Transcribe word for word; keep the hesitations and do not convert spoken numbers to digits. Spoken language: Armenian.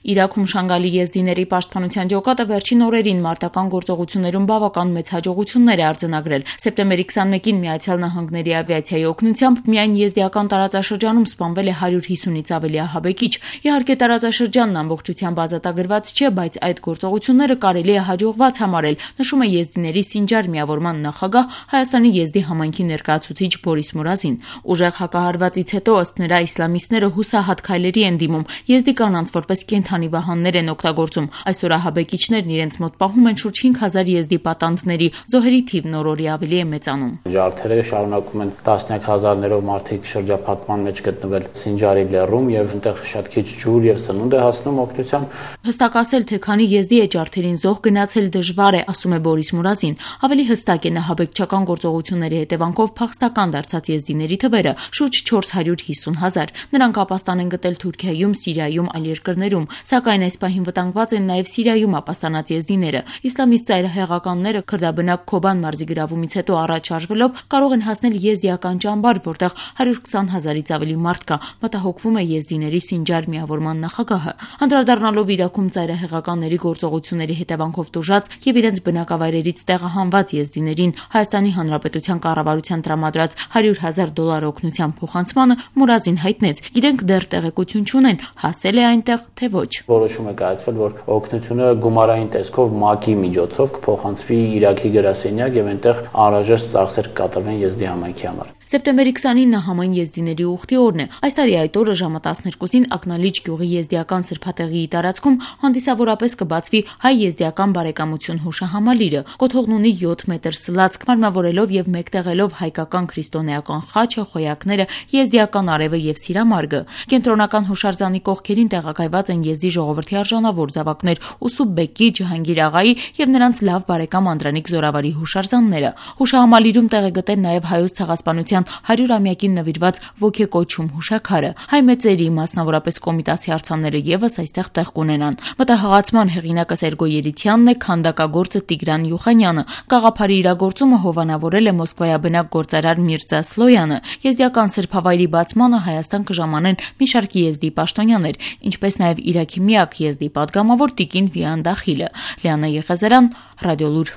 Իրաքում Շանգալի եզդիների պաշտպանության ջոկատը վերջին օրերին մարտական գործողություններում բավական մեծ հաջողություններ է արձանագրել։ Սեպտեմբերի քսանմեկին Միացյալ Նահանգների ավիացիայի օգնությամբ միայն եզդիական տարածաշրջանում սպանվել է հարյուր հիսունից ավելի ահաբեկիչ։ Իհարկե տարածաշրջանն ամբողջությամբ ազատագրված չէ, բայց այդ գործողությունները կարելի է հաջողված համարել, նշում է եզդիների Սինջար միավորման նախագահ Հայաստանի եզդի համայնքի ներկայացուցիչ Բորիս Մուրազին։ Ուժեղ հակահարվածից հետո ըստ նրա իսլամիստները հուսահատ քայլերի են դիմում, եզդի կանանց որպես կենդանի վահաններ են օգտագործում։ Այսօր ահաբեկիչներն իրենց մոտ պահում են շուրջ հինգ հազար եզդի պատանդների, զոհերի թիվն օր-օրի ավելի է մեծանում։ Ջարդերը շարունակում են տասնյակ հազարներով մարդիկ շրջափակման մեջ գտնվել Սինջարի լեռում եւ այնտեղ շատ քիչ ջուր եւ սնունդ է հասնում օգնության։ Հստակ ասել, թե քանի եզդի է ջարդերին զոհ գնացել դժվար է, ասում է Բորիս Մուրազին։ Ավելի հստակ է ահաբեկչական գործողությունների հետևանքով փախստական դարձած եզդիների թվերը՝ շուրջ չորս հարյուր հիսուն հազար։ Նրանք ապաստան են գտել Թուրքիայում, Սիրիայում, այլ երկրներում, սակայն այս պահին վտանգված են նաև Սիրիայում ապաստանած եզդիները։ Իսլամիստ ծայրահեղականները քրդաբնակ Քոբան մարզի գրավումից հետո առաջ շարժվելով կարող են հասնել եզդիական ճամբար, որտեղ հարյուր քսան հազարից ավելի մարդ կա, մտահոգվում է եզդիների Սինջար միավորման նախագահը։ Անդրադառնալով Իրաքում ծայրահեղականների գործողությունների հետևանքով տուժած եւ իրենց բնակավայրերից տեղահանված եզդիներին Հայաստանի Հանրապետության կառավարության տրամադրած հարյուր հազար դոլար օգնության փոխանցմանը Մուրազին հայտնեց. իրենք դեռ տեղեկություն չունեն, հասել է այնտեղ, թե ոչ։ Որոշում է կայացվել, որ օգնությունը գումարային տեսքով ՄԱԿ-ի միջոցով կփոխանցվի Իրաքի գրասենյակ եւ այնտեղ անհրաժեշտ ծախսեր կկատարվեն եզդի համայնքի համար։ Սեպտեմբերի քսանինը համայն եզդիների ուխտի օրն է։ Այս տարի այդ օրը ժամը տասներկուսին Ակնալիջ գյուղի եզդիական սրբատեղիի տարածքում հանդիսավորապես կբացվի հայ-եզդիական բարեկամություն հուշահամալիրը։ Կոթողն ունի յոթ մետր սլացք, մարմնավորելով եւ մեկտեղելով հայկական քրիստոնեական խաչը, խոյակները, եզդիական արևը եւ սիրամարգը։ Կենտրոնական հուշարձանի կողքերին տեղակայված են եզդի ժողովրդի արժանավոր զավակներ Ուսուփ Բեկի, Ջհանգիր աղայի եւ նրանց լավ բարեկամ Անդրանիկ Զորավարի հուշարձանները։ Հուշահամալիրում տեղ է գտել նաեւ հայոց ցեղասպանության հարյուրամյակին նվիրված ոգեկոչում հուշաքարը։ Հայ մեծերի, մասնավորապես Կոմիտասի արձանները եւս այստեղ տեղ կունենան։ Մտահղացման հեղինակը Սերգո Երիցյանն է, քանդակագործը Տիգրան Յուխանյանը։ Գաղափարի իրագործումը հովանավորել է մոսկվայաբնակ գործարար Միրզա Սլոյանը։ Եզդիական սրբավայրի բացմանը Հայաստան կժամանեն մի շարք եզդի պաշտոնյաներ, ինչպես նաեւ Իրաքի միակ եզդի պատգամավոր Տիկին Վիան Դախիլը։ Լիանա Եղեզարյան, Ռադիոլուր։